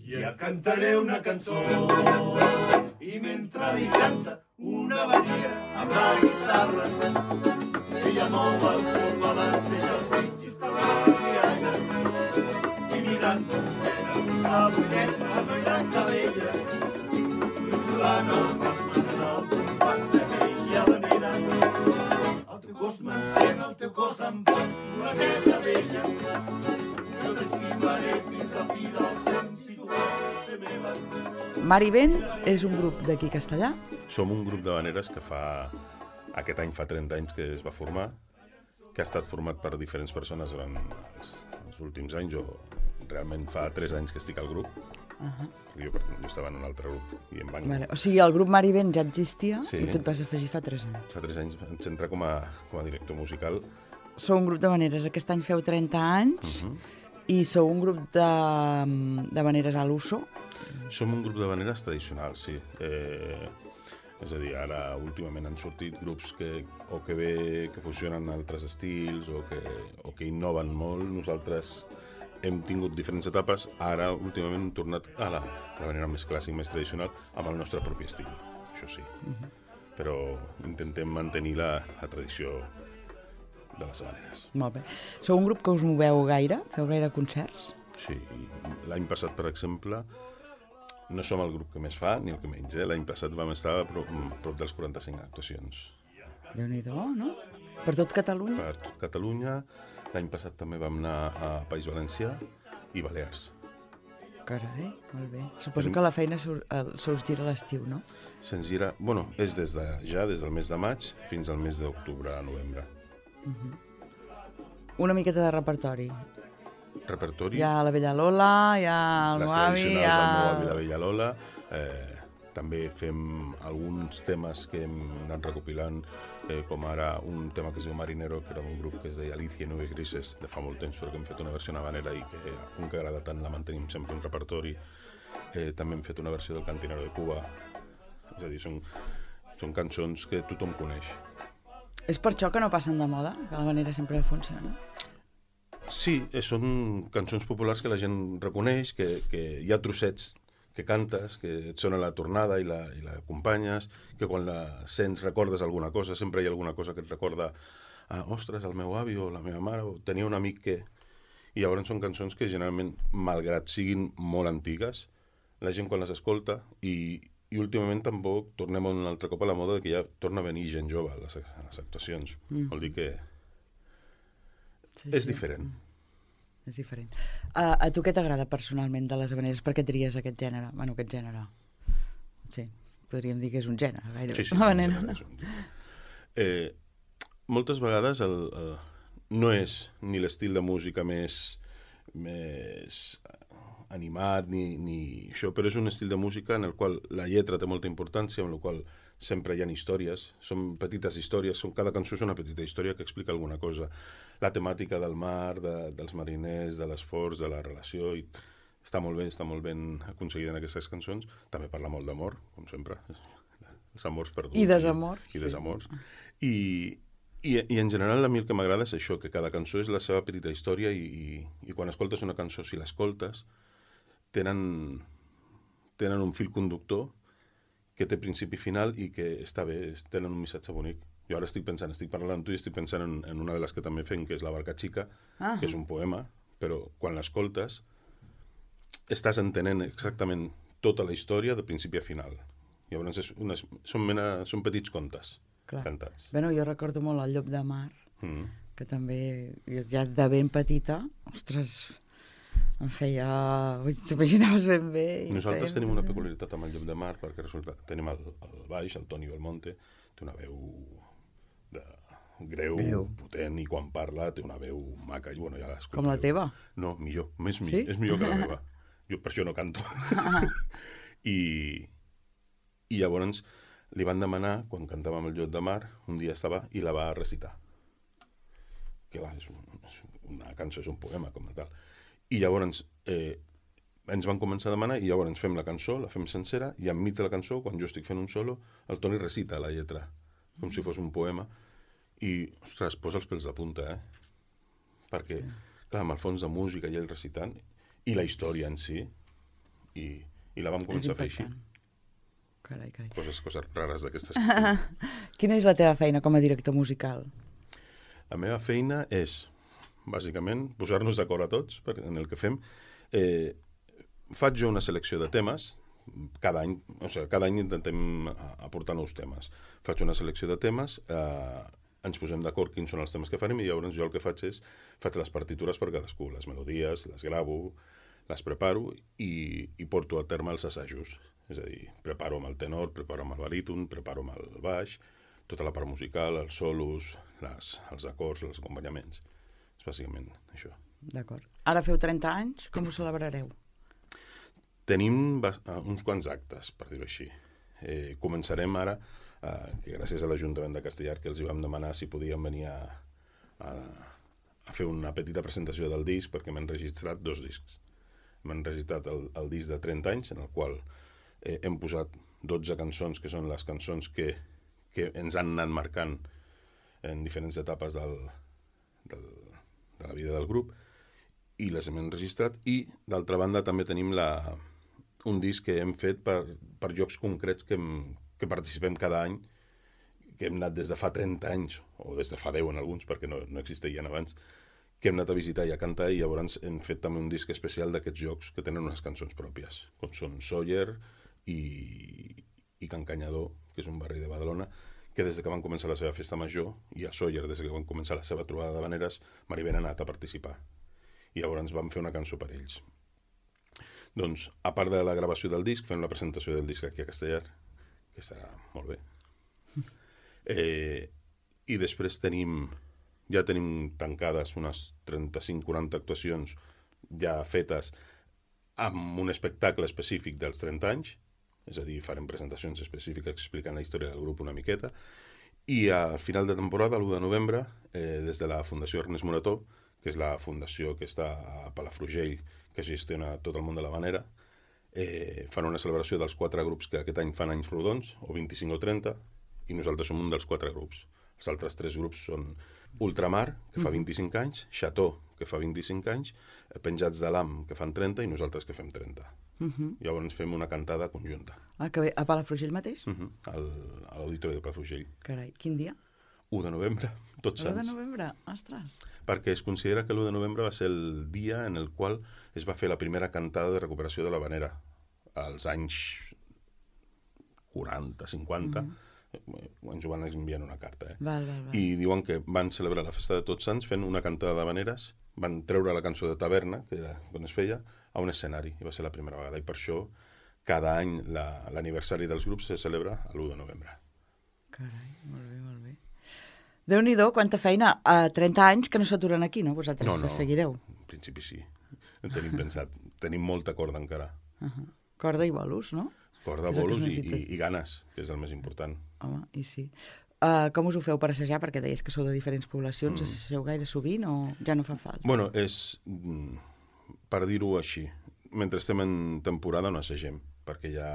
Ja cantaré una cançó i mentre li canta una varia amb la guitarra ella mou el cul balança i els dits i està l'antiana i mirant la bulleta amb la gran cabella xulant el pas manual d'un pas de vella manera el teu cos m'encén, el teu cos em pot floradeta vella jo t'estimaré fins a fi del temps si tu vols ser meva. Mar i Vent és un grup d'aquí Castellà. Som un grup d'havaneres que aquest any fa 30 anys que es va formar, que ha estat format per diferents persones durant els últims anys. Jo realment fa 3 anys que estic al grup. Jo estava en un altre grup i em van... Vale. O sigui, el grup Mar i Vent ja existia i tu et vas afegir fa 3 anys. Fa 3 anys vaig entrar com a director musical. Sou un grup d'havaneres. Aquest any feu 30 anys i sou un grup d'havaneres a l'uso. Som un grup d'havaneres tradicionals, sí. És a dir, ara últimament han sortit grups que fusionen altres estils o que innoven molt. Nosaltres hem tingut diferents etapes. Ara, últimament, hem tornat a l'havanera més clàssic, més tradicional, amb el nostre propi estil, això sí. Però intentem mantenir la tradició de les havaneres. Molt bé. Sou un grup que us moveu gaire? Feu gaire concerts? Sí. L'any passat, per exemple, no som el grup que més fa, ni el que menys. L'any passat vam estar a prop dels 45 actuacions. Déu-n'hi-do, no? Per tot Catalunya? Per tot Catalunya. L'any passat també vam anar a País Valencià i Balears. Carai, molt bé. Suposo que la feina se us gira a l'estiu, no? Se'ns gira... Bueno, és des del mes de maig fins al mes d'octubre a novembre. Una miqueta de repertori. Repertori... Hi ha la Vella Lola, hi ha el meu avi... Les tradicionals, el meu avi i la Vella Lola. També fem alguns temes que hem anat recopilant, com ara un tema que es diu Marinero, que era un grup que es deia Alicia i Nubes Grises, de fa molt temps, però que hem fet una versió en havanera i que a punt que agrada tant la mantenim sempre en repertori. També hem fet una versió del Cantinero de Cuba. És a dir, són cançons que tothom coneix. És per això que no passen de moda, que l'havanera sempre funciona? Sí, són cançons populars que la gent reconeix, que hi ha trossets que cantes, que et sona la tornada i l'acompanyes, que quan la sents recordes alguna cosa, sempre hi ha alguna cosa que et recorda ostres, el meu avi o la meva mare, o tenia un amic que... I llavors són cançons que generalment, malgrat siguin molt antigues, la gent quan les escolta i últimament tampoc tornem un altre cop a la moda que ja torna a venir gent jove a les actuacions. Vol dir que és diferent. És diferent. A tu què t'agrada personalment de les havaneres? Per què tries aquest gènere? Bueno, aquest gènere. Sí, podríem dir que és un gènere, gairebé. Sí, havanera. Moltes vegades no és ni l'estil de música més animat ni això, però és un estil de música en el qual la lletra té molta importància, en el qual sempre hi ha històries, són petites històries, cada cançó és una petita història que explica alguna cosa. La temàtica del mar, dels mariners, de l'esforç, de la relació, i està molt ben aconseguida en aquestes cançons. També parla molt d'amor, com sempre, els amors perduts. I desamors. I desamors. I en general a mi el que m'agrada és això, que cada cançó és la seva petita història i quan escoltes una cançó, si l'escoltes, tenen un fil conductor que té principi i final i que està bé, tenen un missatge bonic. Jo ara estic parlant amb tu i estic pensant en una de les que també fem, que és La barca xica, que és un poema, però quan l'escoltes estàs entenent exactament tota la història de principi a final. Llavors són petits contes cantats. Bueno, jo recordo molt El llop de mar, que també, ja de ben petita, ostres, em feia... T'imaginaves ben bé. Nosaltres tenim una peculiaritat amb El llop de mar, perquè resulta que tenim el baix, el Toni Belmonte, té una veu greu, potent, i quan parla té una veu maca. I, bueno, ja com la teva? No, millor, sí? És millor que la meva. Jo per això no canto. I llavors li van demanar, quan cantàvem El llop de mar, un dia estava i la va recitar. Que clar, és una cançó, és un poema com a tal. I llavors ens van començar a demanar i llavors fem la cançó, la fem sencera, i enmig de la cançó, quan jo estic fent un solo, el Toni recita la lletra, com si fos un poema, i, ostres, posa els pèls de punta, Perquè, clar, amb el fons de música i ell recitant, i la història en si, i la vam començar a fer així. Carai. Coses rares d'aquestes. Quina és la teva feina com a director musical? La meva feina és, bàsicament, posar-nos d'acord a tots en el que fem. Faig jo una selecció de temes, cada any intentem aportar nous temes. Faig una selecció de temes, ens posem d'acord quins són els temes que farem i llavors jo el que faig és, faig les partitures per cadascú, les melodies, les gravo, les preparo i porto a terme els assajos. És a dir, preparo amb el tenor, preparo amb el baríton, preparo amb el baix, tota la part musical, els solos, els acords, els acompanyaments. És bàsicament això. D'acord. Ara feu 30 anys, com ho celebrareu? Tenim uns quants actes, per dir-ho així. Començarem ara, que gràcies a l'Ajuntament de Castellar, que els hi vam demanar si podien venir a fer una petita presentació del disc, perquè m'han registrat 2 discs. M'han registrat el disc de 30 anys, en el qual hem posat 12 cançons, que són les cançons que ens han anat marcant en diferents etapes de la vida del grup, i les hem enregistrat, i d'altra banda també tenim un disc que hem fet per llocs concrets que participem cada any, que hem anat des de fa 30 anys, o des de fa 10 en alguns, perquè no existeixen abans, que hem anat a visitar i a cantar, i llavors hem fet també un disc especial d'aquests llocs que tenen unes cançons pròpies, com són Sóller i Can Canyador, que és un barri de Badalona, que des que van començar la seva festa major, i a Sóller, des que van començar la seva trobada de veneres, m'arriben anat a participar. I llavors vam fer una cançó per ells. Doncs, a part de la gravació del disc, fem la presentació del disc aquí a Castellar, que estarà molt bé. I després ja tenim tancades unes 35-40 actuacions ja fetes amb un espectacle específic dels 30 anys, és a dir, farem presentacions específiques explicant la història del grup una miqueta, i a final de temporada, l'1 de novembre, des de la Fundació Ernest Morató, que és la fundació que està a Palafrugell, que gestiona tot el món de l'Havanera, fan una celebració dels 4 grups que aquest any fan anys rodons, o 25 o 30, i nosaltres som un dels 4 grups. Els altres 3 grups són Ultramar, que fa 25 anys, Chateau, que fa 25 anys, Penjats de l'Am, que fan 30, i nosaltres que fem 30. Llavors fem una cantada conjunta. Ah, que bé. A Palafrugell mateix? A l'Auditori de Palafrugell. Carai, quin dia? 1 de novembre, Tots Sants. 1 de novembre, ostres. Perquè es considera que l'1 de novembre va ser el dia en el qual es va fer la primera cantada de recuperació de l'Havanera. Als anys 40, 50, ens ho van enviar una carta. Val. I diuen que van celebrar la festa de Tots Sants fent una cantada d'havaneres, van treure la cançó de Taverna, que era on es feia, a un escenari, i va ser la primera vegada. I per això, cada any, l'aniversari dels grups se celebra l'1 de novembre. Carai, molt bé. Déu-n'hi-do, quanta feina. A 30 anys que no s'aturen aquí, no? Vosaltres seguireu. En principi sí. En tenim pensat. Tenim molta corda encara. Corda i bolos, no? Corda, bolos i ganes, que és el més important. Home, i sí. Com us ho feu per assajar? Perquè deies que sou de diferents poblacions. Assageu gaire sovint o ja no fa falta? Bueno, és, per dir-ho així, mentre estem en temporada no assagem, perquè ja,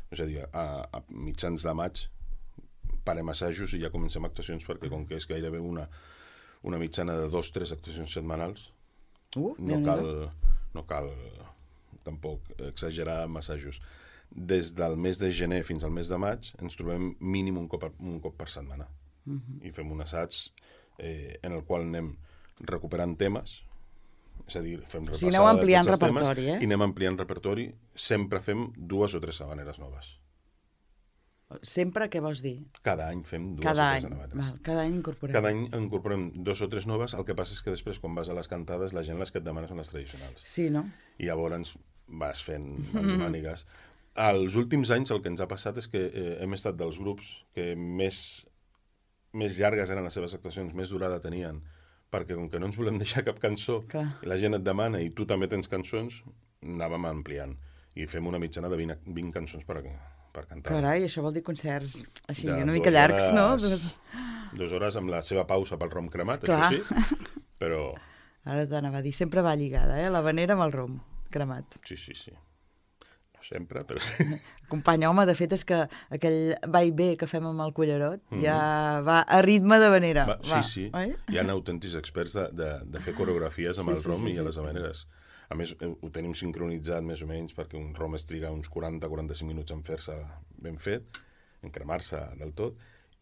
és a dir, a mitjans de maig parem assajos i ja comencem actuacions, perquè com que és gairebé una mitjana de 2 o 3 actuacions setmanals, no cal tampoc exagerar amb assajos. Des del mes de gener fins al mes de maig ens trobem mínim un cop per setmana. I fem un assaig en el qual anem recuperant temes, és a dir, fem repassada aneu ampliant de tots els repertori, temes, i anem ampliant repertori. Sempre fem 2 o 3 havaneres noves. Sempre, què vols dir? Cada any fem 2 o 3 havaneres. Cada any incorporem. Cada any incorporem 2 o 3 noves, el que passa és que després, quan vas a les cantades, la gent les que et demana són les tradicionals. Sí, no? I llavors vas fent mans i mànigues. Els últims anys el que ens ha passat és que hem estat dels grups que més llargues eren les seves actuacions, més durada tenien, perquè com que no ens volem deixar cap cançó, la gent et demana i tu també tens cançons, anàvem ampliant. I fem una mitjana de 20 cançons per cantar. Carai, això vol dir concerts així una mica llargs, no? 2 hores amb la seva pausa pel rom cremat, això sí, però... Ara t'anava a dir, sempre va lligada, l'havanera amb el rom cremat. Sí. No sempre, però sí. Company, home, de fet és que aquell va i ve que fem amb el cullerot ja va a ritme d'havanera. Sí. Hi ha autèntics experts de fer coreografies amb el rom i a les havaneres. A més, ho tenim sincronitzat més o menys perquè un rom es triga uns 40-45 minuts en fer-se ben fet, en cremar-se del tot,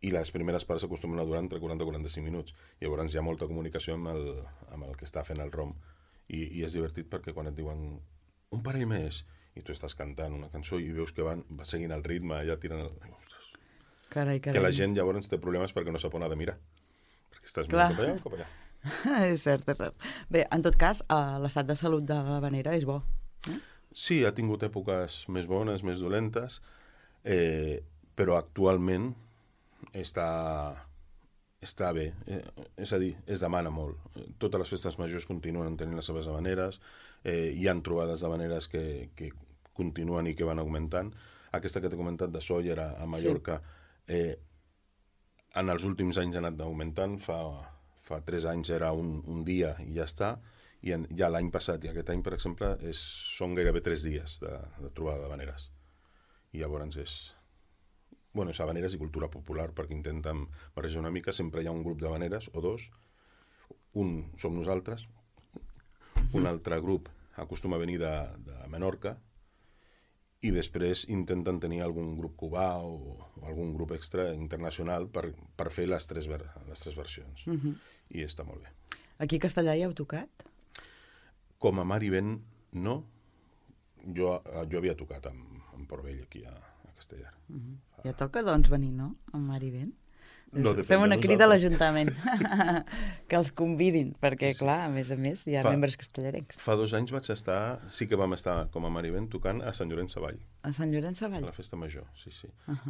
i les primeres parts s'acostumen a durar entre 40 i 45 minuts. Llavors hi ha molta comunicació amb el que està fent el rom. I és divertit perquè quan et diuen un parell més, i tu estàs cantant una cançó i veus que va seguint el ritme, ja tiren el... Ostres. Carai. Que la gent llavors té problemes perquè no sap on ha de mirar. Perquè estàs Clar. mirant cap allà o cap allà. És cert. Bé, en tot cas, l'estat de salut de l'Havanera és bo. Sí, ha tingut èpoques més bones, més dolentes, però actualment està bé. És a dir, es demana molt. Totes les festes majors continuen tenint les seves havaneres, hi han trobades d'havaneres que continuen i que van augmentant. Aquesta que t'he comentat de Sóller a Mallorca, en els últims anys ha anat augmentant. Fa 3 anys era un dia i ja està, i ja l'any passat i aquest any, per exemple, són gairebé 3 dies de trobada d'havaneres. I llavors és havaneres i cultura popular, perquè intenten barrejar una mica. Sempre hi ha un grup d'havaneres, o 2. Un som nosaltres, un altre grup acostuma a venir de Menorca, i després intenten tenir algun grup cubà o algun grup extra internacional per fer les tres versions. I està molt bé. Aquí a Castellà hi heu tocat? Com a mar i vent, no. Jo havia tocat amb Port Vell, aquí a Castellà. Ja toca, doncs, venir, no? Amb mar i vent. No, fem una crida a l'Ajuntament que els convidin, perquè, clar, a més, hi ha membres castellarencs. Fa 2 anys sí que vam estar com a mar i vent tocant a Sant Llorenç Savall. A Sant Llorenç Savall? A la festa major, sí.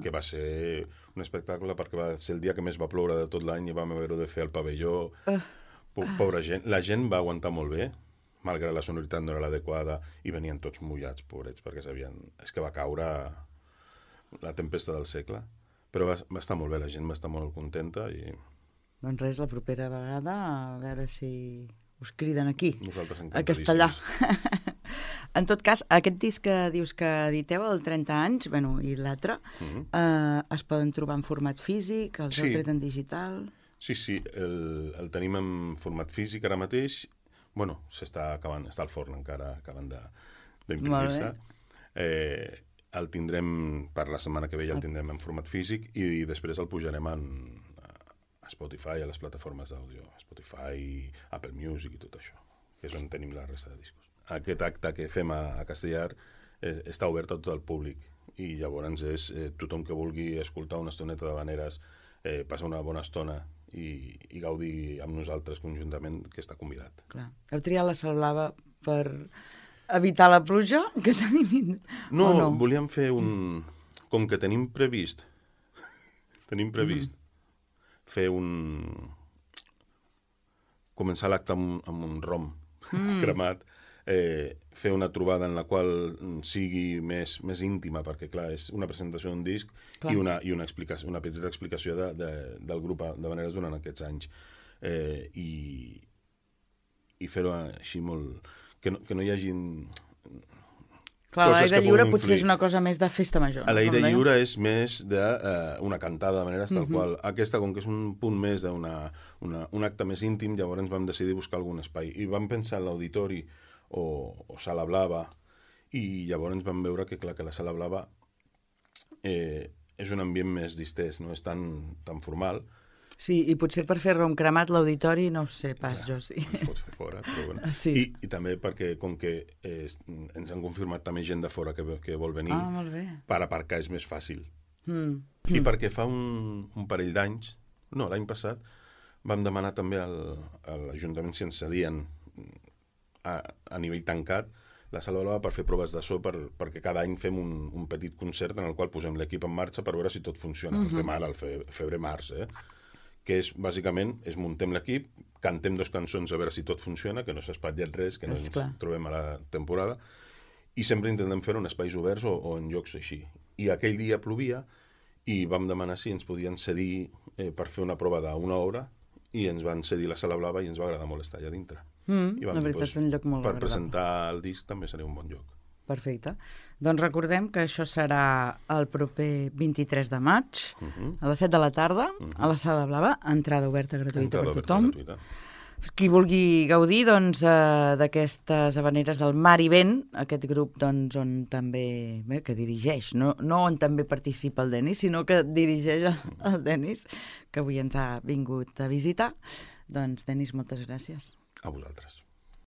Que va ser un espectacle perquè va ser el dia que més va ploure de tot l'any i vam haver-ho de fer al pavelló. Pobra gent. La gent va aguantar molt bé, malgrat la sonoritat no era l'adequada, i venien tots mullats, pobrets, perquè sabien... És que va caure la tempesta del segle. Però va estar molt bé, la gent va estar molt contenta i... Doncs res, la propera vegada, a veure si us criden aquí, a Castellà. En tot cas, aquest disc que dius que editeu, el 30 anys, i l'altre, es poden trobar en format físic, els heu tret en digital... Sí, el tenim en format físic ara mateix. S'està acabant, està al forn encara, acaben d'imprimir-se. El tindrem, per la setmana que ve ja el tindrem en format físic i després el pujarem a Spotify, a les plataformes d'àudio, Spotify, Apple Music i tot això, que és on tenim la resta de discos. Aquest acte que fem a Castellar està obert a tot el públic i llavors és tothom que vulgui escoltar una estoneta d'havaneres, passar una bona estona i gaudir amb nosaltres conjuntament, que està convidat. Clar. Heu triat la Sal Blava per evitar la pluja que tenim? No, volíem fer com que tenim previst fer començar l'acte amb un rom cremat, fer una trobada en la qual sigui més íntima, perquè, clar, és una presentació d'un disc i una petita explicació del grup d'havaneres durant aquests anys. I fer-ho així molt... Que no hi hagi... Clar, l'aire lliure potser és una cosa més de festa major. L'aire lliure és més d'una cantada d'havaneres, tal qual. Aquesta, com que és un punt més d'un acte més íntim, llavors vam decidir buscar algun espai. I vam pensar en l'auditori o Sala Blava, i llavors vam veure que, clar, que la Sala Blava és un ambient més distès, no és tan formal. Sí, i potser per fer rom cremat l'auditori no ho sé pas, jo sí. Es pot fer fora, però bueno. Sí. I també perquè, com que ens han confirmat també gent de fora que vol venir, molt bé. Per aparcar és més fàcil. I perquè fa un parell d'anys, no, l'any passat, vam demanar també a l'Ajuntament si ens cedien a nivell tancat la Sala Blava per fer proves de so, perquè cada any fem un petit concert en el qual posem l'equip en marxa per veure si tot funciona. El fem ara, al febrer-març, que és, bàsicament, muntem l'equip, cantem 2 cançons a veure si tot funciona, que no s'ha espatllat res, que no ens trobem a la temporada, i sempre intentem fer-ho en espais oberts o en llocs així. I aquell dia plovia i vam demanar si ens podien cedir per fer una prova d'1 hora, i ens van cedir la Sala Blava i ens va agradar molt estar allà dintre. La veritat és un lloc molt agradable. Per presentar el disc també seria un bon lloc. Perfecte. Doncs recordem que això serà el proper 23 de maig, a les 7 de la tarda, a la Sala Blava, entrada oberta gratuïta per tothom. qui vulgui gaudir d'aquestes havaneres del Mar i Vent, aquest grup on també que dirigeix, no on també participa el Denis, sinó que dirigeix el Denis, que avui ens ha vingut a visitar. Doncs, Denis, moltes gràcies. A vosaltres.